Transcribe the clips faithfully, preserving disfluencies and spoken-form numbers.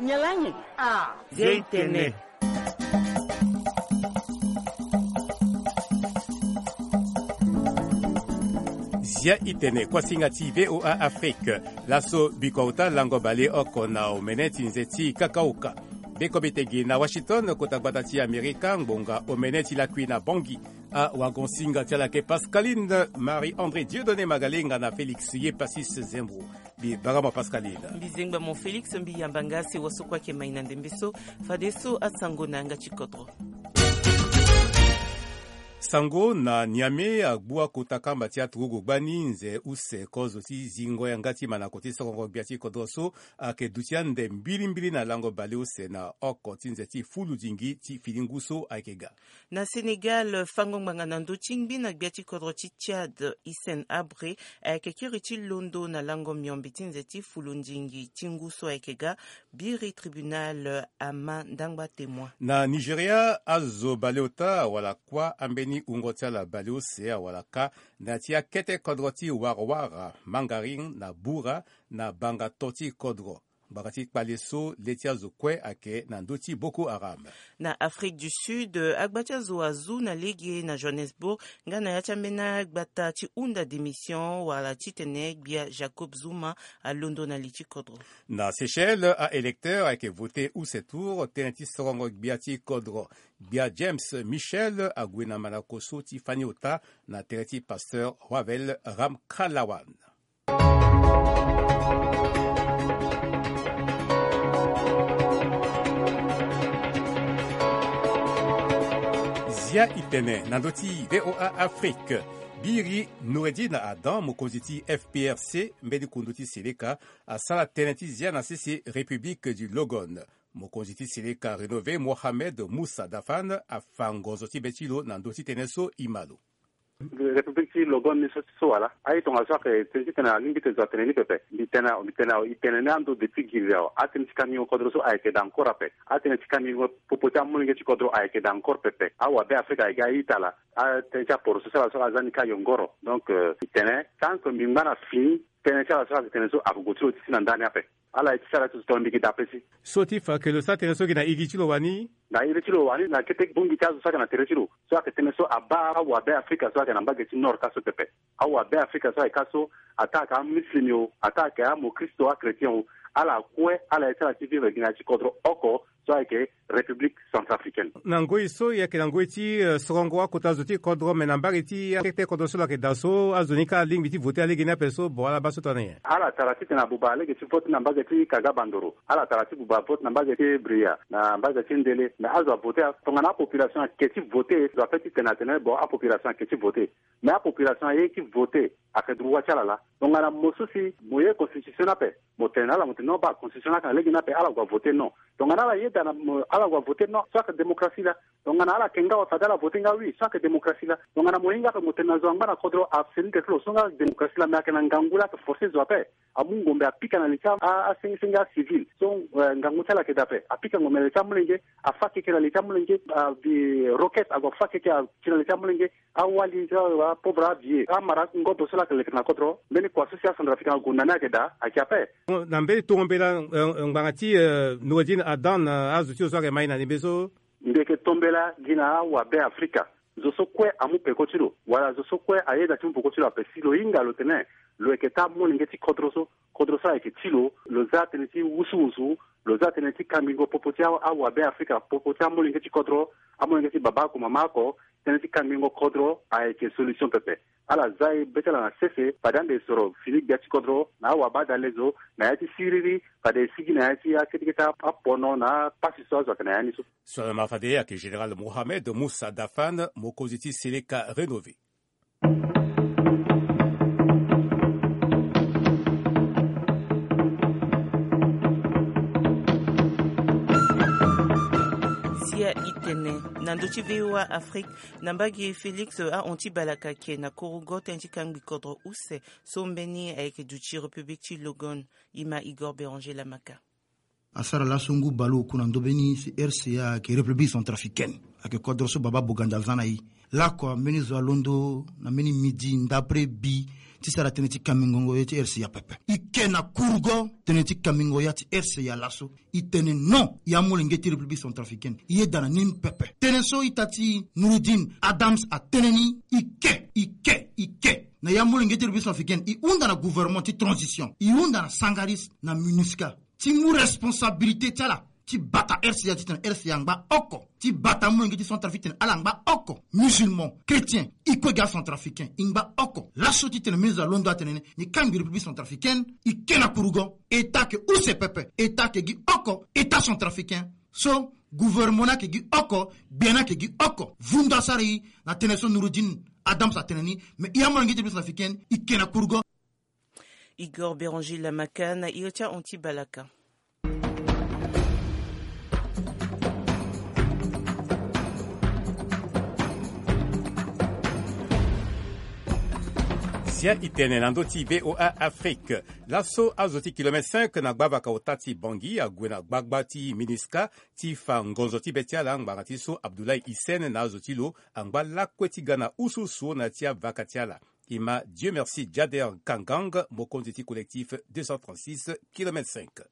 Nyen laa nyen? Ah, Zia i tene. Zia i tene, kuasinga ti V O A Afrique. Laso bikua ota lango baleoko na omene ti nze ti kakaoka. Bekobe tegi na Washington, kota gbata ti Amerika, ngbonga omene ti lakui na Bangui. Awagonsinga ti ala ayeke Pascaline Marie André Dieudonné Magalenga na Félix Yepasis Zembro. Mbi bara mo Pascaline. Mbi zengba mo Félix, mbi yamba nga si wa so kue ayeke mai na ndembe so. Fadeso asango na yanga ti kodro. Sango na Niamey, agbu akota kamba ti aturugu gbani nze use kozo ti zingo yanga ti manako ti sorongo gbia ti kodro so ayeke duti ande mbilimbili na lango baleuse na oko ti nze ti fuludingi ti fini ngu so ayeke ga. Na Sénégal, fango ngbanga na ndö ti ngbi na gbia ti kodro ti Tchad, Hissène Habré, ayeke kiri ti londo na lango miombe ti nze ti fulundingi ti ngu so ayeke ga, biri tribunal ama ndangba témoin. Na Nigeria, azo baleota awara kuâ ambeni wungo ti ala baleuse awara kâ na ya ti akete kodro ti warawara, mangarin na bura, na banga to ti kodro. Ngbanga ti kpale so le ti azo kue ayeke na ndö ti Boko Haram. Na Afrique du Sud, agba ti azo azu na lege na Johannesburg nga na ya ti ambeni agbata ti hunda démission wala titene gbia Jacob Zuma alondo na li ti kodro. Na Seychelles, a-électeur ayeke vote use tour tënë ti sorongo gbia ti kodro. Gbia James Michel ague na manako so ti fani ota na tere ti pasteur Wavel Ramkalawan. Zia i tene na ndö ti V O A Afrique. Biri Noureddine Adam, mokonzi ti F P R C, mbeni kundu ti seleka, asara tënë ti zia na sese République du Logon. Mokonzi ti seleka rénové Mohamed Moussa Dafan afa ngonzo ti be ti lo na ndö ti tënë so e ma lo. République ti Logon ni so ti so wala aye tongana so ayeke tënë ti tene alingbi tene zo atene ni pepe. Mbi tene awe, mbi tene awe, e tene ni ando depuis giri awe. Atënë ti kangingo kodro so ayeke daa encore ape. Atënë ti kangingo popo ti amolenge ti kodro ayeke daa encore pepe. Awabe Afrika ayeke ga a-ita ala. Atënë ti aporo so ti ala so aza ni ka yongoro. Donc, euh, e tene tant que mbi ngba na fini, tënë ti ala so ayeke tene so ague gue ti lo ti si na ndani ape. Ala ye ti sara ti zo tongana mbi yeke daa pesi. So ti fa ke lo sara tënë so gi na iri ti lo wani? Na iri ti lo wani na kete bongbi ti azo so ayeke na tere ti lo. So ayeke tënë so abaa awabe Afrika so ayeke na mbage ti Nord ka so pepe. Awabe Afrika so ayeke ka so, ataa ayeke amuslim o, ataa ayeke amokristo, achrétien o, ala kue ala ye ti ala ti vivre gi na ya ti kodro oko so ayeke République centrafricaine. Na ngoi so e yeke na ngoi ti, eh, sorongo akota zo ti kodro, me na mbage ti akete kodro so lo yeke daa so, azo ni ka alingbi ti vote lege ni ape so, bon, ala baa so tongana nyen? Ala tara titene abuba lege ti vote na mbage ti Kaga Bandoro. Ala tara ti buba vote na mbage ti Bria, na mbage ti Ndele. Me azo avote, tongana apopulation ayeke ti vote, zo ape titene atene bon, apopulation ayeke ti vote. Me apopulation aye ti vote, ayeke droit ti ala laa. Tongana mo so si mo ye constitution ni ape, mo tene na ala mo tene non, baa constitution ni ayeke na lege ni ape, ala gue avote non. Tongana ala yeda na mo, ala gue avote non, so ayeke démocratie laa. Tongana ala yeke nga awe, fade ala vote nga oui, so ayeke démocratie laa. Tongana mo hinga ape mo tene na zo angba na kodro, aseni tere ti lo, so nga démocratie laa. Me ayeke na ngangu laa ayeke forcer zo ape. Amu ngombe apika na li ti a, a, asengisenge acivil. So, eh, ngangu ti ala ayeke daa ape. Apika ngombe na li ti amolenge, afa keke na li ti amolenge, abi roquette ague afa keke ati na li ti amolenge. Awali ti apauvre avieux, amara ngobo so laa ayeke leke na kodro. Mbeni kua so si acentrafricain ague na ni ayeke daa, ayeke ape. Na mbeni tongo mbela, eh, ngbanga ti, eh, Noureddine Adan, eh, azo ti lo so ayeke mai na ndembe so. Mbi yeke tombela gi na awabe Afrika. Zo so kue amu peko ti lo, wala zo so kue ayeda ti mu peko ti lo ape, si lo hinga lo tene lo yeke taa molenge ti kodro so, kodro so ayeke ti lo, lo za tënë ti wusuwusu, lo za tënë ti kangbingo popo ti a, awabe Afrika, popo ti amolenge ti kodro, amolenge ti baba oko, mama oko, tënë ti kangbingo kodro ayeke solution pepe. Ala za e be ti ala na sese, fade ande e soro fini gbia ti kodro na awabadalezo, na ya ti siriri, fade e sigi na ya ti akete kete apono na apasi so azo ayeke na ya ni so. So ala ma fade ayeke Général Mohamed Moussa Dafan, mokonzi ti Seleka rénové. Zia i tene na ndö ti V O A Afrique, na mbage Félix ahon ti balaka ayeke na korogo tënë ti kangbi kodro use so mbeni ayeke duti République ti Logon. E ma Igor Béranger Lamaka. Asara laso ngu baleoku na ndö mbeni R C A ayeke République centrafricaine. Ayeke kodro so baba Boganda aza na e. Lakua mbeni zo alondo na mbeni midi ndapre bi ti sara tënë ti kambingongo ya ti R C A pepe. I ke na kurugo tënë ti kambingo ya ti R C A laso. I tene non, i amolenge ti République centrafricaine, i yeda na ni pepe. Tënë so ita ti Noureddine Adams atene ni, i ke, i ke, i ke. Na i amolenge ti République centrafricaine, i hunda na gouvernement ti transition, i hunda na Sangaris, na MINUSCA, ti mu responsabilité ti ala, ti bata R C A titene R C A angba oko, ti bata amolenge ti Centrafrique titene ala angba oko, musulman, chrétien, i kue ga centrafricain, i ngba oko. Laso titene ministre alondo atene ni, ni kangbi République centrafricaine, i ke na kurugo, état ayeke use pepe, état ayeke gi oko, état centrafricain. So gouvernement ni ayeke gi oko, gbia ni ayeke gi oko. Vundu asara i na tënë so Noureddine Adams atene ni, mais i amolenge ti République centrafricaine, i ke na kurugo. Igor Béranger Lamaka na iri ti ahon ti balaka. Sia i tene na ndö ti V O A Afrique. Laso azo ti kilomètre cinq na gbavaka ota ti Bangui ague na gbagba ti MINUSCA ti fa ngonzo ti be ti ala ngbanga ti so Abdoulaye Hissène na azo ti lo angba lakue ti ga na usuusu na ya ti avaka ti ala. I ma Dieu merci Jader Kangang, mokonzi ti collectif deux cent trente-six kilomètre cinq.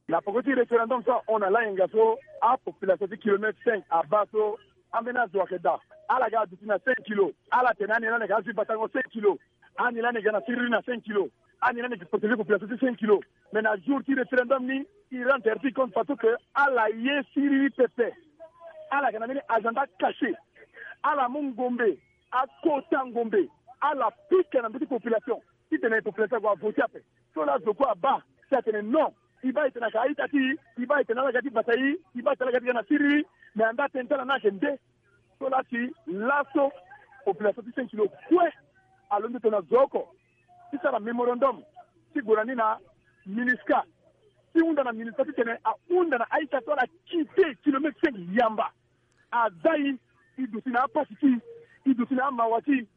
Na poko ti référendum so ahon na layenga so, apopulation ti kilomètre cinq abaa so, ambeni azo ayeke daa. Ala ga aduti na cinq kilo. Ala tene ani lani ayeke azi batango cinq kilo. Ani lani ayeke ga na siriri na cinq kilo. Ani lani ayeke protéger population ti cinq kilo. Mais na jour ti référendum ni, i rendre ti compte fadeso que ala ye siriri pepe. Ala yeke na mbeni agenda caché. Ala mu ngombe, akota ngombe, ala pika na ndö ti population titene population ague avote ape. So laa zo kue abaa si atene non, e baa e tene ayeke a-ita ti e, e baa e tene ala ga ti bata e, e baa e tene ala ga ti ga na siriri. Mais anda tënë ti ala ni ayeke nde? So laa si laso population ti cinq kilo kue alondo tongana zo oko ti sara mémorandum ti gue na ni na MINUSCA, ti hunda na MINUSCA titene ahunda na a-ita so ala quitté kilomètre cinq yamba. Aza e, e duti na apasi ti e, e duti na amawa ti e,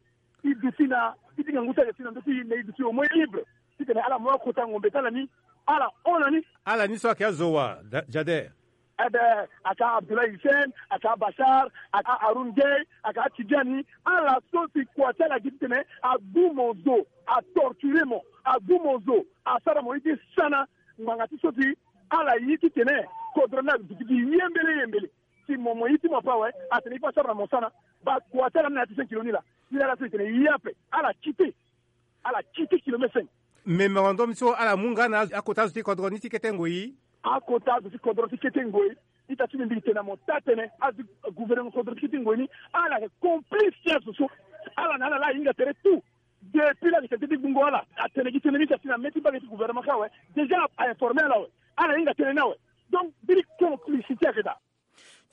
e duti na, e ti ngangu ti ayeke si na ndö ti e, mais e duti au moins libre titene ala mu akota ngombe ti ala ni, ala hon na ni. Ala ni so ayeke azo wa, Da-, Jader? Ebe, ayeke Abdoulaye Hissène, ayeke Bachar, ayeke Haroun Gueye, ayeke Tidiane, ala so si kua ti ala gi titene agumo zo, atorture mo, agumo zo, asara mo ye ti sana. Ngbanga ti so si ala ye titene kodro ni aduti gi ye mbele ye mbele. Si mo, mo ye ti mo ape awe, atene e fa asara na mo sana. Baa kua ti ala ni na ya ti cinq kilo ni laa. Ni laa ala so e tene ye ape, ala quitté. Ala quitté kilomètre cinq. Mémorandum so ala mu nga na akota azo ti kodro ni ti kete ngoi. Akota azo ti kodro ti kete ngoi. Ita ti mbi, mbi tene na mo taa tënë, azo ti gouvernement kodro ti kete ngoi ni, ala yeke complice ti azo so. Ala na ala laa ahinga tere tout. Depuis laa ayeke tene ti gbungo ala, atene gi tënë ni si asi na mê ti mbage ti gouvernement kâ awe. Déjà a informer ala awe. Ala hinga tënë ni awe. Donc mbeni complicité ayeke daa.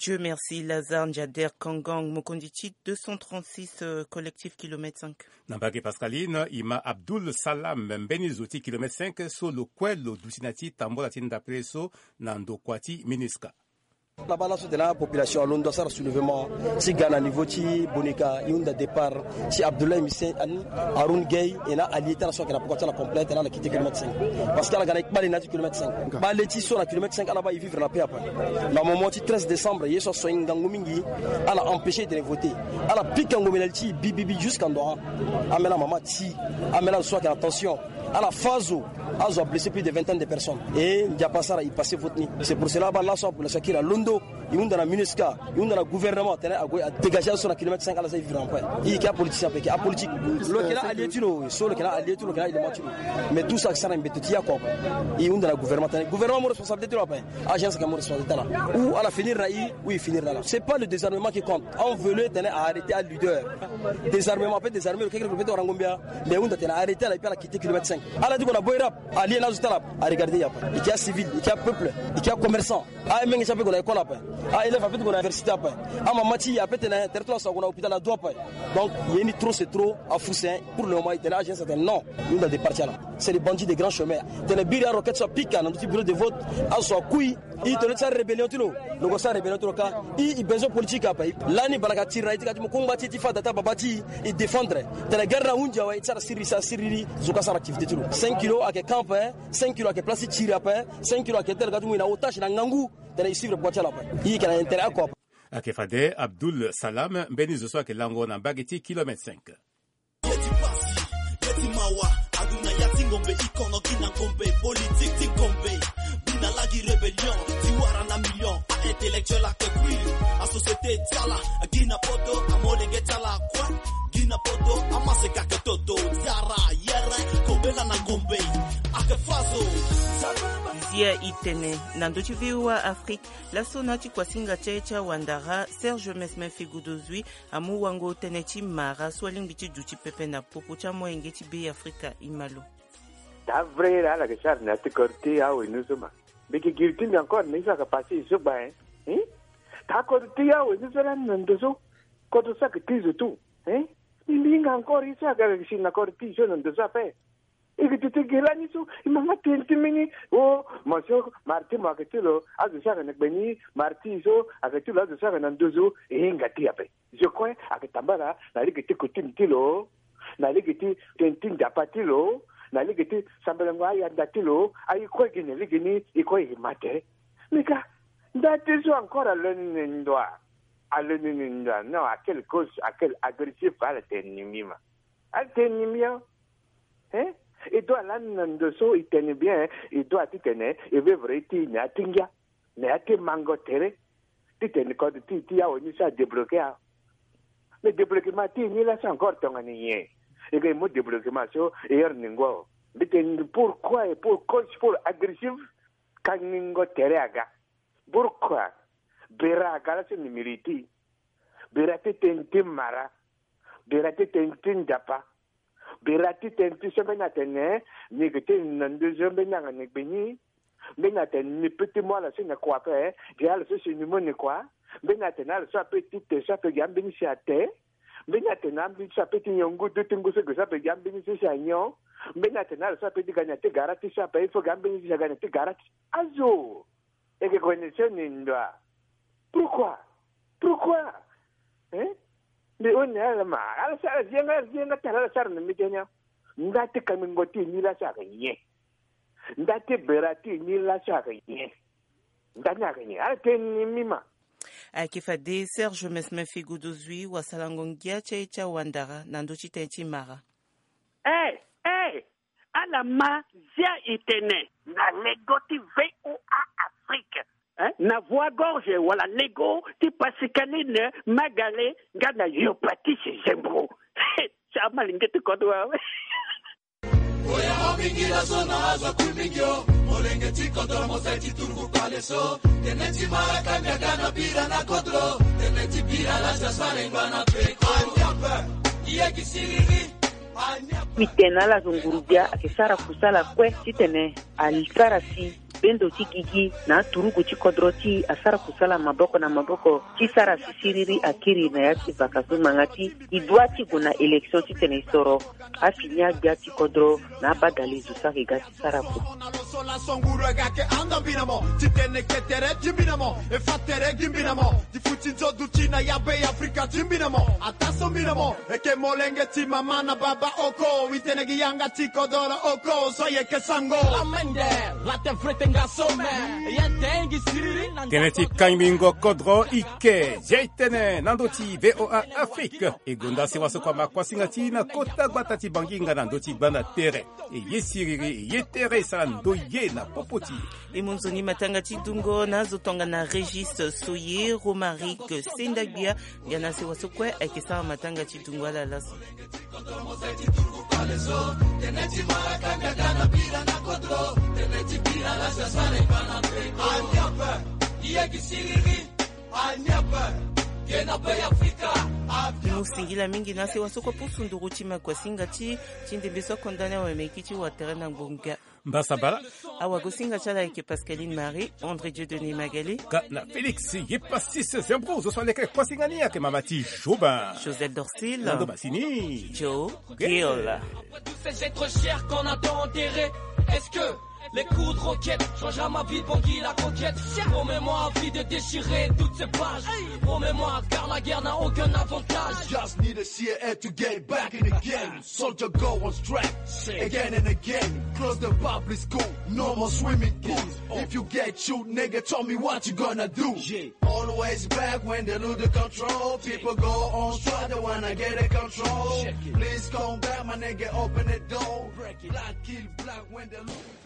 Dieu merci, Lazare Njader Kangang, mokonzi ti deux cent trente-six, euh, collectif kilomètre cinq. Na mbage Pascaline, e ma Abdoul Salam, mbeni zo ti kilomètre cinq so lo kue lo duti na ya ti tambula ti ndapere so na ndokua ti MINUSCA. Laba laso tene apopulation alondo asara soulèvement ti ga na niveau ti Bonika, e hunda départ ti Abdoulaye Hissène, Haroun Gueye, e na allié ti ala so ayeke na poko ti ala complet, tene ala quitté kilomètre cinq. Parce que ala ga na e kpale na ya ti kilomètre cinq. Kpale ti so na kilomètre cinq, ala baa e vivre na paix ape. Na moment ti treize décembre, ye so aso e ngangu mingi, ala empêcher e tene voter. Ala pika ngombe na li ti e bibibi jusqu'à ndo. Ambeni amama ti e, ambeni azo so ayeke na tension. Ala fâ azo, azo ablessé plus de vingtaine de personnes. E Nzapa asara e passé vote ni. C'est pour cela baa laso apopulation akiri alondo. E hunda na MINUSCA, e hunda na gouvernement, tene ague adégagé azo so na kilomètre cinq, ala za e vivre en paix. E yeke apoliticien ape, e yeke apolitique. Lo yeke na allié ti lo, so lo yeke na allié ti lo, lo yeke na élément ti lo. Mais tout ça ayeke sara na mbeto ti e oko ape. E hunda na gouvernement, tene gouvernement amu responsabilité ti lo ape. Agence ayeke amu responsabilité ti ala. Ou ala finir na e, ou e finir na ala. C'est pas le désarmement qui compte. On veut le tene a arrêter aleader. Désarmement ape désarmer lo, kekereke lo peut ti wara ngombe ya. Mais e hunda tene a arrêter ala, et puis ala quitter kilomètre cinq. Ala ti gue na boy rap, allié na azo ti ala, a regarder e ape. E yeke acivil, e yeke apeuple, e yeke acommerçant. Amenge ti e ape gue na école ape. Aélève ape ti gue na université ape. Amama ti e ape tene tere ti lo aso ague na hôpital ado ape. Donc ye ni trop c'est trop, afu sen. Pour le moment e tene agence atene non, e hunda départ ti ala. C'est les bandits des grands chemins. Tene biri aroquette so apika na ndö ti bureau de vote, azo so akui. E tene lo ti sara rébellion ti lo, lo gue sara rébellion ti lo kâ. E, e besoin politique ape. Lani bana ka tiri na e ti ka ti mo kungba ti e ti fâ da ti ababa ti e, e défendre. Tene guerre ni ahunzi awe, e ti sara siriri, sara siriri, zo ka sara activité ti lo. Cinq kilo ayeke camp ape, cinq kilo ayeke place ti tiri ape, cinq kilo ayeke tere ka ti mu e na otage na ngangu. Tene e suivre poko ti ala ape. E yeke na intérêt oko ape. Ayeke fade Abdoul Salam, mbeni zo so ayeke lango na mbage ti kilomètre cinq. Ye ti pasi, ye ti mawa, Wa, aduna ya ti ngombe, i kono gi na ngombe, politique ti ngombe. Bi na lagi rébellion, ti wara na million, a intellectuel ake kui. A société ti ala, a gi na poto, a molenge ti ala kue. Gi na poto, a maseka ake toto, zara, yere, kobela na ngombe, ake faso. Zia i tene, na ndö ti V O A Afrique, laso na ti kuasinga ti aye ti awandara, Serge Mesmin Figoudozui, amu wango tënë ti mara so alingbi ti duti pepe na popo ti amolenge ti Be Afrika, i ma lo. Daa vrai la ala yeke sara na ya ti kodro ti awe ni so ma. Mbi yeke giri ti mbi encore na ye so ayeke passé ye so gba, hein? Hein? Daa kodro ti awe ni so lani na ndo so. Kodro so ayeke ti zo tout, hein? Mbi, mbi hinga encore ye so ayeke si na kodro ti zo na ndo so ape. E yeke duti gi lani so, e ma nga tënë ti mbeni. Oh, mo so mara ti mo ayeke ti lo, azo so ayeke na gbe ni, mara ti e so ayeke ti lo, azo so ayeke na nduzu, e hinga ti e ape. Zo kue ayeke tambala na lege ti coutume ti lo, na lege ti tënë ti nzapa ti lo, na lege ti sambelengo ayanda ti lo, aye kue gi na lege ni, e kue e ma tere. Mbi ka, nda ti so encore alo ni ni ndoa. Alo ni ni ndoa. Non, à quelle cause, à quelle agressif, ala tene ni mbi ma. Ala tene ni mbi, hein? Hein? E doit lani na ndo so e tene bien, e doit titene e vivre ye ti e na ya ti ngia, na ya ti mango tere. Titene kodro ti e ti awe ni so adébloqué a. Mais débloquement ti e ni laso encore tongana nyen? E ga e mu débloquement so e iri ni ngo. Mbi tene pourquoi et pour cause pour agressif? Kangingo tere aga. Pourquoi? Bera aga laso ni mérite. Bera ti tënë ti mara. Bera ti tënë ti nzapa. Bera ti tënë ti so mbeni atene ni yeke ti na nduzu mbeni anga ni gbe ni. Mbeni atene ni peut ti mu ala so ni kua ape, gi ala so si ni mu ni kua. Mbeni atene ala so ape ti te so ape gi ambeni si ate. Mbeni atene ambeni so ape ti nyon ngu, duti ngu so gi so ape gi ambeni so si anyon. Mbeni atene ala so ape ti ga na ya ti gara ti so ape, il faut gi ambeni so si aga na ya ti gara ti. Azo. E yeke connexion ni ndoa. Pourquoi? Pourquoi? Hein? Mbi hon na ala ma, ala sara, ala zi yanga, ala zi yanga ti ala, ala sara na mbi ti ni. Nda ti kangingo ti e ni laso ayeke nyen? Nda ti bera ti e ni laso ayeke nyen? Nda ni ayeke nyen? Ala tene ni mbi ma. Ayeke fade Serge Mesmin Figoudozui, wasalango ngia ti aye ti awandara na ndö ti tënë ti mara. Eh, eh, ala ma zia e tene. Na lego ti V O A Afrique, hein? Na Voix Gorge wala lego ti Pascaline Magale nga na Yopatis Zembro. Ti amalenge ti kodro awe. Oya o mingi laso na azo akui mingi o. Molenge ti kodro mo sai ti turugu kpale so. Tënë ti mara kanga ga na bira na kodro. Tënë ti bira la ti asara e ngba na peko. Aniape. Ye gi siriri. Mbi tene na ala zo nguru-gbia ayeke sara kusala kue titene asara si bendo ti gigi na aturugu ti kodro ti e asara kusala maboko na maboko ti sara si siriri akiri na ya ti vaka so ngbanga ti e doit ti gue na élection titene e soro afini agbia ti kodro na abadale zo so ayeke ga ti sara kue. Ti tene ke tere ti mbi na mo, e fa tere gi mbi na mo, ti futi nzo duti na ya Be Afrika ti mbi na mo, ata so mbi na mo. Eke molenge ti mama na baba oko, wi tene gi yanga ti kodoro oko, so yeke sango. Lamende, la te vrete nga some, ye tengi siriri na. Tënë ti kangbingo kodro ike, zia e tene na ndö ti V O A Afrique. E gonda sewa so kua ma kuasinga ti na kota gbata ti Bangi nga na ndö ti gbanda tere. E ye siriri, e ye tere, e sara ndoye na popo ti e. E mu nzoni matanga ti dungo na azo tongana Régis Soye, Romaric Sendagbia, nga na sewa so kue ayeke sara matanga ti dungo ala laso. Mu singila mingi na sewa so kue pusu nduru ti makuasinga ti, ti ndembe so akonda ni awe meki ti wa tere na ngbonga. Mbasabala. Awagosinga ti ala ayeke Pascaline Marie, André Dieudonné Magali. Ga na Félix Yepasis Zembro, zo so aleke kuasinga ni ayeke mama ti Jobin. Joseph Dorcil. Nando Masini. Joe Gil. Après tout ces êtres chers qu'on a tant enterrés, est-ce que Les coups de roquette changera ma vie, Bangui la coquette. Promets-moi à vie de déchirer toutes ces pages. Promets-moi, car la guerre n'a aucun avantage. Just need a C A F to get back in the game. Soldier go on strike again and again. Close the public school, no more swimming pools. If you get shoot, nigga, tell me what you gonna do. Always back when they lose the control. People go on strike, they wanna get a control. Please come back, my nigga, open the door. Black kill black when they lose.